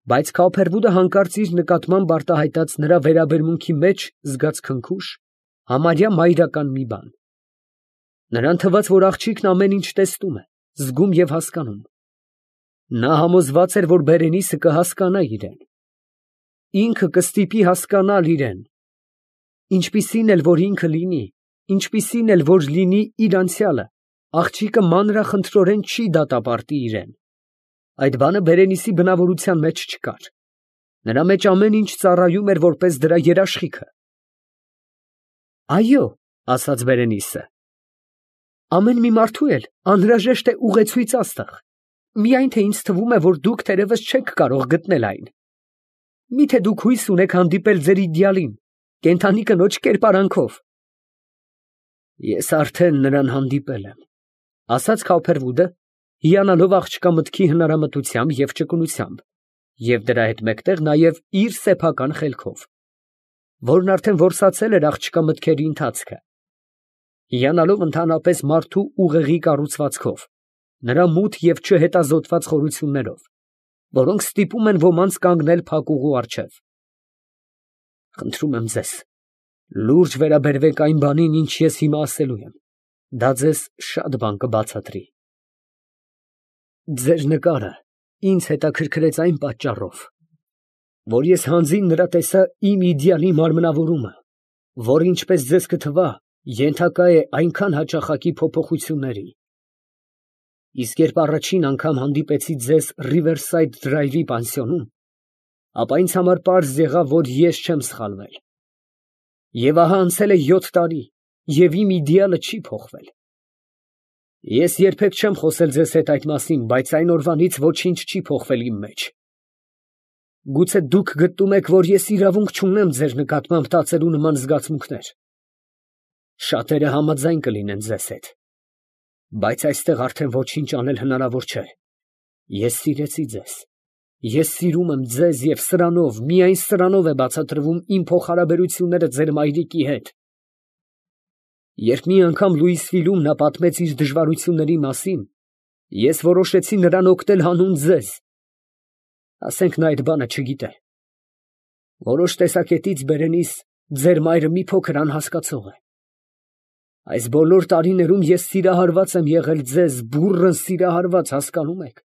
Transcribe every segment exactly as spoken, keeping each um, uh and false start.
Բայց Քավբերվուդը հանկարծ իր նկատմամբ արտահայտած նրա վերաբերմունքի մեջ զգաց քնքուշ, համարյա մայրական մի բան. նրան թվաց, որ աղջիկն ամեն ինչ տեսնում է, զգում և հասկանում. նա համոզված էր, որ Բերենիսը կհասկանա իրեն, ինքը կստիպի հասկանալ իրեն, ինչպիսին էլ որ ինքը լինի, ինչպիսին էլ որ լինի իր անցյալը, աղջիկը մանրախնդրորեն չի դատապարտի իրեն. այդ բանը Բերենիսի բնավորության մեջ չկար, նրա մեջ ամեն ինչ ծառայում էր որպես դրա երաշխիքը։ Այո, ասաց Բերենիսը, ամեն մի մարդու էլ անհրաժեշտ է ուղեցույց աստղ, միայն թե ինձ թվում է, որ դուք թերևս չեք կարող գտնել այն։ Միթե դուք հույս ունեք հանդիպել ձեր իդեալին, կենդանի կնոջ կերպարանքով։ Ես արդեն նրան հանդիպել եմ, ասաց Քավբերվուդը, հիանալով աղջկա մտքի հնարամտությամբ և ճկունությամբ, և դրա հետ մեկտեղ նաև իր սեփական խելքով, որն արդեն որսացել էր աղջկա մտքերի ընթացքը, հիանալով ընդհանրապես մարդու ուղեղի կառուցվածքով, նրա մութ և չհետազոտված խորություններով, որոնք ստիպում են ոմանց կանգնել փակուղու առջև։ Խնդրում եմ ձեզ, լուրջ վերաբերվեք այն բանին, ինչ ես հիմա ասելու եմ, դա ձեզ շատ բան կբացատրի։ Ձեր նկարը ինձ հետաքրքրեց այն պատճառով, որ ես հանձին նրա տեսա իմ իդեալի մարմնավորումը, որ ինչպես ձեզ կթվա, ենթակա է այնքան հաճախակի փոփոխությունների։ Իսկ երբ առաջին անգամ հանդիպեցի ձեզ Ռիվերսայդ Դրայվի պանսիոնում, ապա ինձ համար պարզ եղավ, որ ես չեմ սխալվել։ Եվ ահա անցել է յոթ տարի, և իմ իդեալը չի փոխվել։ Ես երբեք չեմ խոսել ձեզ հետ այդ մասին, բայց այն օրվանից ոչինչ չի փոխվել իմ մեջ։ Գուցե դուք գտնում եք, որ ես իրավունք չունեմ ձեր նկատմամբ տածելու նման զգացմունքներ։ Շատերը համաձայն կլինեն ձեզ հետ, բայց այստեղ արդեն ոչինչ անել հնարավոր չէ։ Ես սիրեցի ձեզ, ես սիրում եմ ձեզ և սրանով, միայն սրանով է բացատրվում իմ փոխհարաբերությունները ձեր մայրիկի հետ։ Երբ մի անգամ Լուիսվիլում նա պատմեց իր դժվարությունների մասին, ես որոշեցի նրան օգնել հանուն ձեզ։ Ասենք նա այդ բանը չգիտե։ Որոշ տեսակետից Բերենիս ձեր մայրը մի փոքր անհասկացող է։ Այս բոլոր տարիներում ես սիրահարված եմ եղել ձեզ, բուռն սիրահարված, հասկանում եք։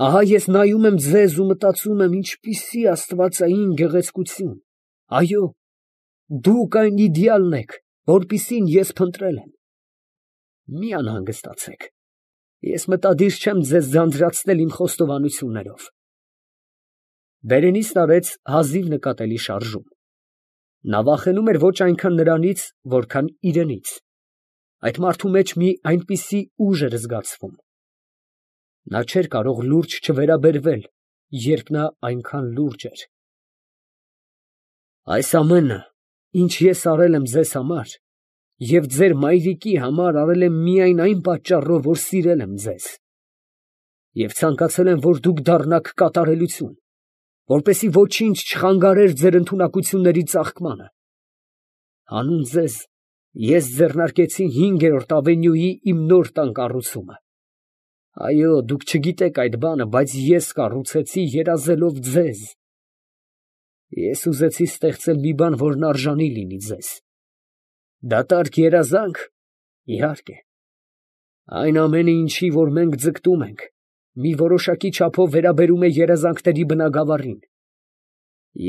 Ահա ես նայում եմ ձեզ ու մտածում եմ, ինչպիսի աստվածային գեղեցկություն։ Այո, դուք այն իդեալն եք, որպիսին ես փնտրել եմ։ Մի անհանգստացեք, ես մտադիր չեմ ձեզ ձանձրացնել իմ խոստովանություններով։ Բերենիսն արեց հազիվ նկատելի շարժում։ Նա վախենում էր ոչ այնքան նրանից, որքան իրենից։ Այդ մարդու մեջ մի այնպիսի ուժ էր զգացվում։ Նա չէր կարող լուրջ չվերաբերվել, երբ նա այնքան լուրջ էր։ Այս ամենը, ինչ ես արել եմ ձեզ համար, և ձեր մայրիկի համար արել եմ միայն այն պատճառով, որ սիրել եմ ձեզ, և ցանկացել եմ, որ դուք դառնաք կատարելություն, որպեսզի ոչինչ չխանգարեր ձեր ընդունակությունների ծաղկմանը։ Հանուն ձեզ ես ձեռնարկեցի հինգերորդ ավենյուի իմ նոր տան կառուցումը։ Այո, դուք չգիտեք այդ բանը, բայց ես կառուցեցի երազելով ձեզ։ Ես ուզեցի ստեղծել մի բան, որն արժանի լինի ձեզ։ Դատարկ երազանք, իհարկե։ Այն ամենը, ինչի որ մենք ձգտում ենք, մի որոշակի չափով վերաբերում է երազանքների բնագավառին։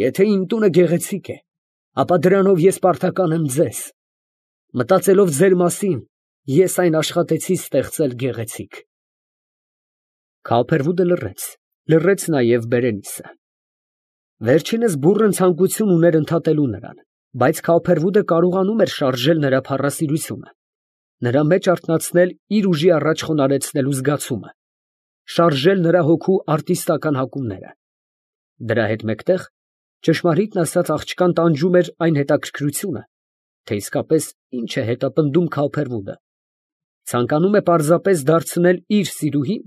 Եթե իմ տունը գեղեցիկ է, ապա դրանով ես պարտական եմ ձեզ։ Մտածելով ձեր մասին, ես այն աշխատեցի ստեղծել գեղեցիկ։ Քավբերվուդը լռեց, լռեց նաև Բերենիսը։ Վերջինս բուռն ցանկություն ուներ ընդհատելու նրան, բայց Քավբերվուդը կարողանում էր շարժել նրա փառասիրությունը, նրա մեջ արթնացնել իր ուժի առաջ խոնարհեցնելու զգացումը, շարժել նրա հոգու արտիստական հակումները։ Դրա հետ մեկտեղ, ճշմարիտն ասած, աղջկան տանջում էր այն հետաքրքրությունը, թե իսկապես ինչ է հետապնդում Քավբերվուդը, ցանկանում է պարզապես դարձնել իր սիրուհին,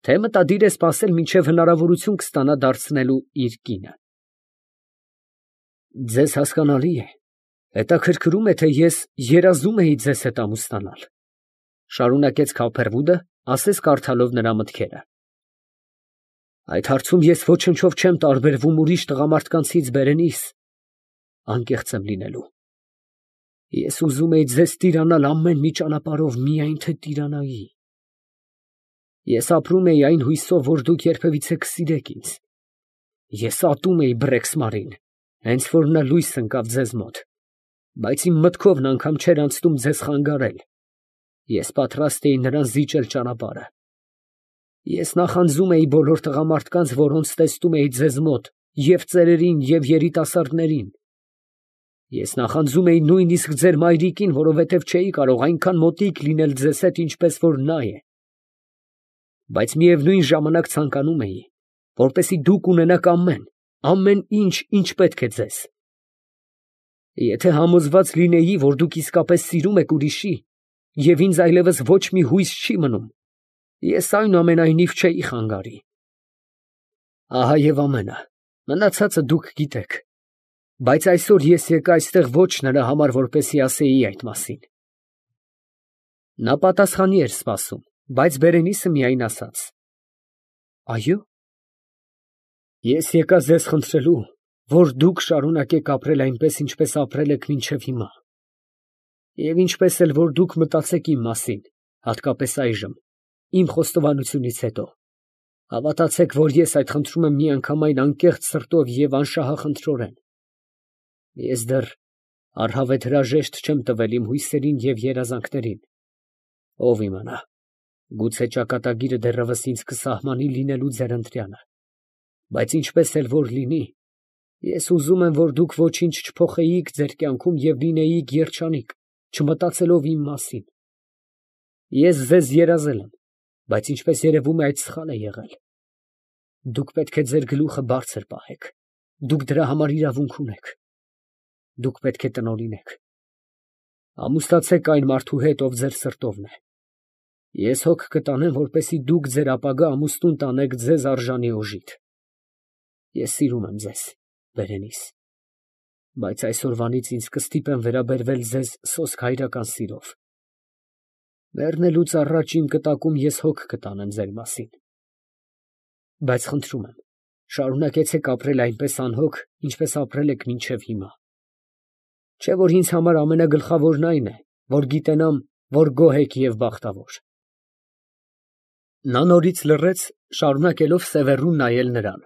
թե մտադիր է սպասել, մինչև հնարավորություն կստանա դարձնելու իր կինը։ Ձեզ հասկանալի է, հետաքրքրում է, թե ես երազում էի ձեզ հետ ամուսնանալ, շարունակեց Քավբերվուդը, ասես կարդալով նրա մտքերը։ Այդ հարցում ես ոչնչով չեմ տարբերվում ուրիշ տղամարդկանցից Բերենիս, անկեղծ եմ լինելու։ Ես ուզում էի ձեզ տիրանալ ամեն մի ճանապարհով, միայն թե տիրանայի։ Ես ապրում էի այն հույսով, որ դուք երբևիցե կսիրեք ինձ։ Ես ատում էի Բրեքսմարին, հենց որ նա լույս ընկավ ձեզ մոտ, բայց իմ մտքովն անգամ չէր անցնում ձեզ խանգարել։ Ես պատրաստ էի նրան զիջել ճանապարհը։ Ես նախանձում էի բոլոր տղամարդկանց, որոնց տեսնում էի ձեզ մոտ, և ծերերին, և երիտասարդներին։ Ես նախանձում էի նույնիսկ ձեր մայրիկին, որովհետև չէի կարող այնքան մոտիկ լինել ձեզ հետ, ինչպես որ նա է։ Բայց միևնույն ժամանակ ցանկանում էի, որպեսզի դուք ունենաք ամեն, ամեն ինչ, ինչ պետք է ձեզ։ Եթե համոզված լինեի, որ դուք իսկապես սիրում եք ուրիշի, և ինձ այլևս ոչ մի հույս չի մնում, ես այնուամենայնիվ չէի խանգարի։ Ահա և ամենը, մնացածը դուք գիտեք։ Բայց այսօր ես եկա այստեղ ոչ նրա համար, որպեսզի ասեի այդ մասին։ Նա պատասխանի էր սպասում, բայց Բերենիսը միայն ասաց. Այո՞։ Ես եկա ձեզ խնդրելու, որ դուք շարունակեք ապրել այնպես, ինչպես ապրել եք մինչև հիմա, և ինչպես էլ որ դուք մտածեք իմ մասին, հատկապես այժմ, իմ խոստովանությունից հետո, հավատացեք, որ ես այդ խնդրում եմ միանգամայն անկեղծ սրտով և անշահախնդրորեն։ Ես դեռ առհավետ հրաժեշտ չեմ տվել իմ հույսերին և երազանքներին, ով իմանա, գուցե ճակատագիրը դեռևս ինձ կսահմանի լինելու ձեր ընտրյանը, բայց ինչպես էլ որ լինի, ես ուզում եմ, որ դուք ոչինչ չփոխեիք ձեր կյանքում և լինեիք երջանիկ, չմտածելով իմ մասին։ Ես ձեզ երազել եմ, բայց ինչպես երևում է, այդ սխալ է եղել։ Դուք պետք է ձեր գլուխը բարձր պահեք, դուք դրա համար իրավունք ունեք։ Դուք պետք է տնօրինեք։ Ամուսնացեք այն մարդու հետ, ով ձեր սրտովն է։ Ես հոգ կտանեմ, որպեսզի դուք ձեր ապագա ամուսնուն տանեք ձեզ արժանի օժիտ։ Ես սիրում եմ ձեզ, Բերենիս, բայց այսօրվանից ինձ կստիպեն վերաբերվել ձեզ սոսկ հայրական սիրով։ Մեռնելուց առաջ իմ կտակում ես հոգ կտանեմ ձեր մասին։ Բայց խնդրում եմ, շարունակեցեք ապրել այնպես անհոգ, ինչպես ապրել եք մինչև հիմա։ Չէ՞ որ ինձ համար ամենագլխավորն այն է, որ գիտենամ, որ գոհ եք և բախտավոր։ Նա նորից լռեց, շարունակելով սևեռուն նայել նրան,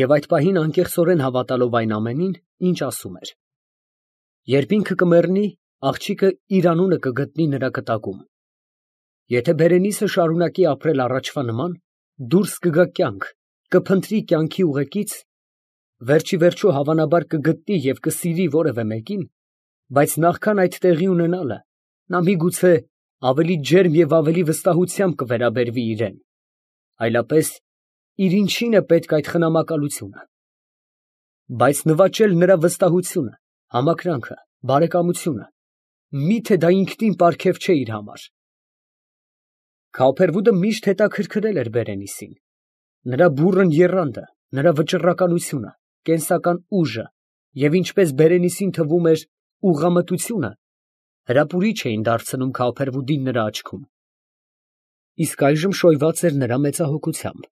և այդ պահին անկեղծորեն հավատալով այն ամենին, ինչ ասում էր։ Երբ ինքը կմեռնի, աղջիկը իր անունը կգտնի նրա կտակում։ Եթե Բերենիսը շարունակի ապրել առաջվա նման, դուրս կգա կյանք, կփնտրի կյանքի ուղեկից, վերջիվերջո հավանաբար կգտնի և կսիրի որևէ մեկին, բայց նախքան այդ տեղի ունենալը, նա միգուցե ավելի ջերմ և ավելի վստահությամբ կվերաբերվի իրան, այլապես իր ինչին է պետք այդ խնամակալությունը։ Բայց նվաճել նրա վստահությունը, համակրանքը, բարեկամությունը, մի՞թե դա ինքնին պարգև չէ իր համար։ Քավոփերվուդը միշտ հետաքրքրել էր Բերենիսին, նրա բուռն եռանդը, նրա վճռականությունը, կենսական ուժը և ինչպես Բերենիսին թվում էր ուղղամտությունը, հրապուրիչ էին դարձնում Քավոփերվուդին նրա աչքում։ Իսկ այժմ շոյված էր նրա մեծահոգությամբ։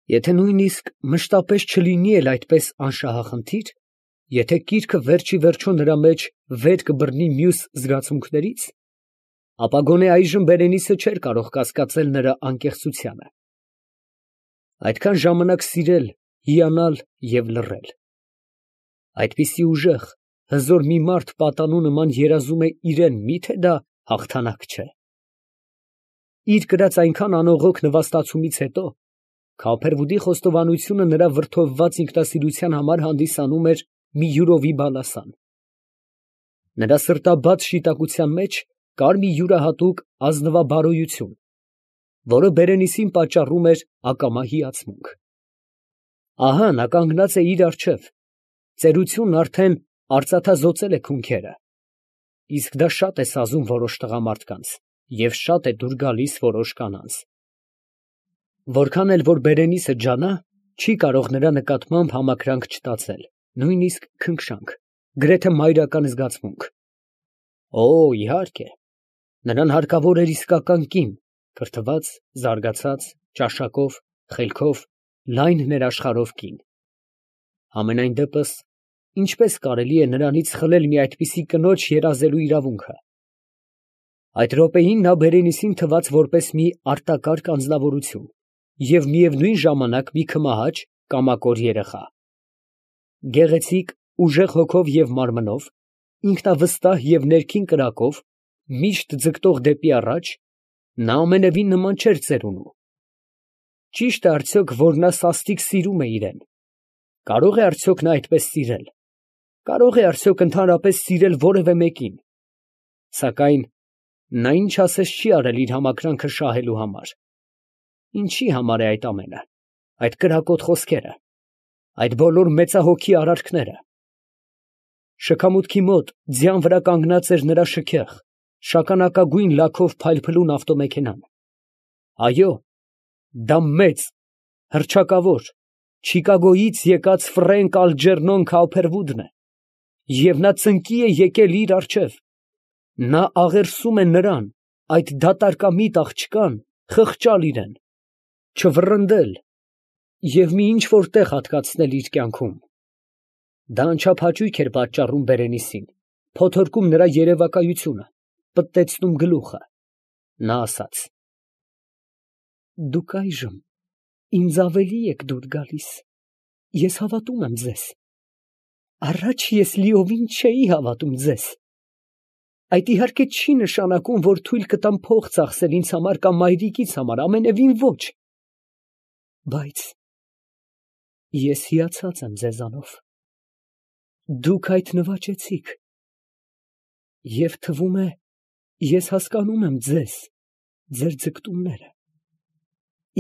Եթե նույնիսկ մշտապես չլինի էլ այդպես անշահախնդիր, եթե կիրքը վերջիվերջո նրա մեջ վեր կբռնի մյուս զգացմունքներից, ապա գոնե այժմ Բերենիսը չէր կարող կասկածել նրա անկեղծությանը։ Այդքան ժամանակ սիրել, հիանալ և լռել։ Այդպիսի ուժեղ, հզոր մի մարդ պատանու նման երազում է իրան, մի՞թե դա հաղթանակ չէ։ Իր կրած այնքան անողոք նվաստացումից հետո Քավոփերվուդի խոստովանությունը նրա վրդովված ինքնասիրության համար հանդիսանում էր մի յուրովի բալասան։ Նրա սրտաբաց շիտակության մեջ կար մի յուրահատուկ ազնվաբարոյություն, որը Բերենիսին պատճառում էր ակամա հիացմունք։ Ահա նա կանգնած է իր առջև, ծերությունն արդեն արծաթազօծել է քունքերը, իսկ դա շատ է սազում որոշ տղամարդկանց և շատ է դուր գալիս որոշ կանանց։ Որքան էլ որ Բերենիսը ջանա, չի կարող նրա նկատմամբ համակրանք չտածել, նույնիսկ քնքշանք, գրեթե մայրական զգացմունք։ Օ, իհարկե, նրան հարկավոր էր իսկական կին, կրթված, զարգացած, ճաշակով, խելքով, լայն ներաշխարհով կին։ Համենայն դեպս, ինչպես կարելի է նրանից խլել մի այդպիսի կնոջ երազելու իրավունքը։ Այդ րոպեին նա Բերենիսին թվաց որպես մի արտակարգ անձնավորություն և միևնույն ժամանակ մի քմահաճ կամակոր երեխա։ Գեղեցիկ, ուժեղ հոգով և մարմնով, ինքնավստահ և ներքին կրակով, միշտ ձգտող դեպի առաջ, նա ամենևին նման չէր ծերունու։ Ճի՞շտ է արդյոք, որ նա սաստիկ սիրում է իրեն։ Կարո՞ղ է արդյոք նա այդպես սիրել։ Կարո՞ղ է արդյոք ընդհանրապես սիրել որևէ մեկին։ Սակայն նա ինչ ասես չի արել իր համակրանքը շահելու համար։ Ինչի համար է այդ ամենը, այդ կրակոտ խոսքերը, այդ բոլոր մեծահոգի արարքները։ Շքամուտքի մոտ ձյան վրա կանգնած էր նրա շքեղ, շագանակագույն լաքով փայլփլուն ավտոմեքենան։ Այո, դա մեծ, հռչակավոր, Չիկագոյից եկած Ֆրենկ Ալջերնոն Քաուփերվուդն է, և նա ծնկի է եկել իր առջև։ Նա աղերսում է նրան, այդ դատարկամիտ աղջկան, խղճալ իրան, չվռնդել և մի ինչ֊որ տեղ հատկացնել իր կյանքում։ Դա անչափահաճույք էր պատճառում Բերենիսին, փոթորկում նրա երևակայությունը, պտտեցնում գլուխը։ Նա ասաց. «Դուք այժմ ինձ ավելի եք դուր գալիս, ես հավատում եմ ձեզ, առաջ ես լիովին չէի հավատում ձեզ։ Այդ իհարկե չի նշանակում, որ թույլ կտամ փող ծախսել ինձ համար կամ մայրիկիս համար, ամենևին ոչ։ Բայց ես հիացած եմ ձեզանով։ Դուք այդ նվաճեցիք, և թվում է, ես հասկանում եմ ձեզ, ձեր ձգտումները։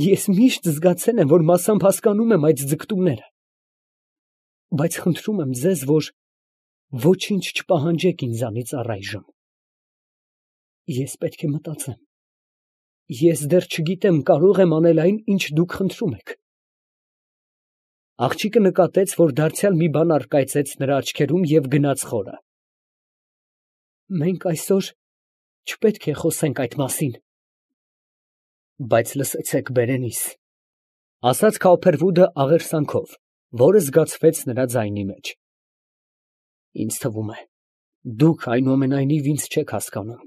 Ես միշտ զգացել եմ, որ մասամբ հասկանում եմ այդ ձգտումները, բայց խնդրում եմ ձեզ, որ ոչինչ չպահանջեք ինձանից առայժմ։ Ես պետք է մտածեմ, ես դեռ չգիտեմ կարող եմ անել այն, ինչ դուք խնդրում եք»։ Աղջիկը նկատեց, որ դարձյալ մի բան առկայծեց նրա աչքերում և գնաց խորը։ «Մենք այսօր չպետք է խոսենք այդ մասին»։ «Բայց լսեցեք, Բերենիս», ֊ ասաց Քաուփերվուդը աղերսանքով, որը զգացվեց նրա ձայնի մեջ։ «Ինձ թվում է, դուք այնուամենայնիվ ինձ չեք հասկանում։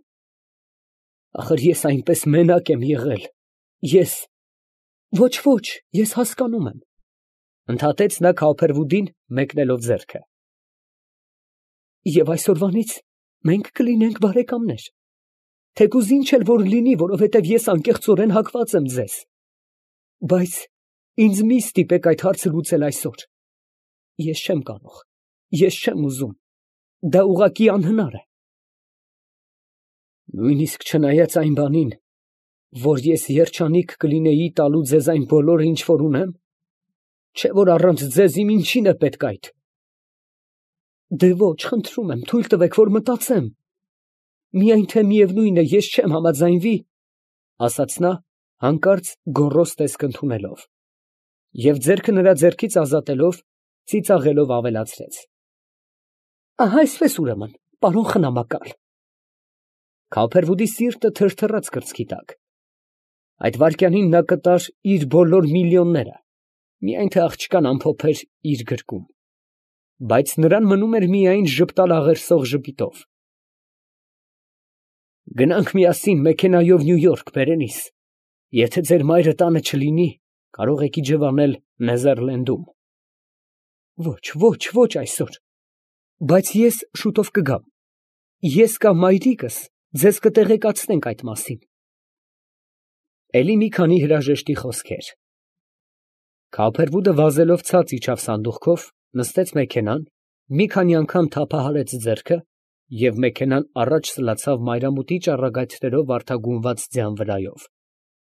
Ախր ես այնպես մենակ եմ եղել, ես… Ոչ, ոչ, ես հասկանում եմ, ֊ ընդհատեց նա Քաուփերվուդին, մեկնելով ձեռքը։ Եվ այսօրվանից մենք կլինենք բարեկամներ, թեկուզ ինչ էլ որ լինի, որովհետև ես անկեղծորեն հակված եմ ձեզ։ Բայց ինձ մի ստիպեք այդ հարցը լուծել այսօր։ Ես չեմ կարող, ես չեմ ուզում, դա ուղղակի անհնար է։ Նույնիսկ չնայած այն բանին, որ ես երջանիկ կլինեի տալու ձեզ այն բոլորը, ինչ որ ունեմ, չէ՞ որ առանց ձեզ իմ ինչին է պետք այդ։ Դե ոչ, խնդրում եմ, թույլ տվեք, որ մտածեմ։ Միայն թե միևնույն է, ես չեմ համաձայնվի, ֊ ասաց նա, հանկարծ գոռոզ տեսք ընդունելով, և ձեռքը նրա ձեռքից ազատելով, ծիծաղելով ավելացրեց. Ահա այսպես ուրեմն, պարոն խնամակալ։ Քաուփերվուդի սիրտը թրթռաց կրծքի տակ։ Այդ վայրկյանին նա կտար իր բոլոր միլիոնները, միայն թե աղջկան ամփոփեր իր գրկում, բայց նրան մնում էր միայն ժպտալ աղերսող ժպիտով։ Գնանք միասին մեքենայով Նյու Յորք, Բերենիս, եթե ձեր մայրը տանը չլինի, կարող եք իջևանել Նեզերլենդում։ Ոչ, ոչ, ոչ այսօր, բայց ես շուտով կգամ, ես կամ մայրիկս ձեզ կտեղեկացնենք այդ մասին։ Էլի մի քանի հրաժեշտի խոսքեր։ Քաուփերվուդը վազելով ցած իջավ սանդուղքով, նստեց մեքենան, մի քանի անգամ թափահարեց ձեռքը և մեքենան առաջ սլացավ մայրամուտի ճառագայթներով վարդագունված ձյան վրայով,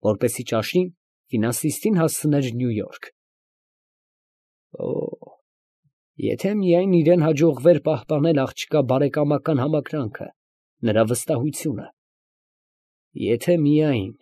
որպեսզի ճաշին ֆինանսիստին հասցներ Նյու Յորք։ Օ՜, եթե միայն իրան հաջողվեր պահպանել աղջկա բարեկամական համակրանքը, նրա վստահությունը… Եթե միայն…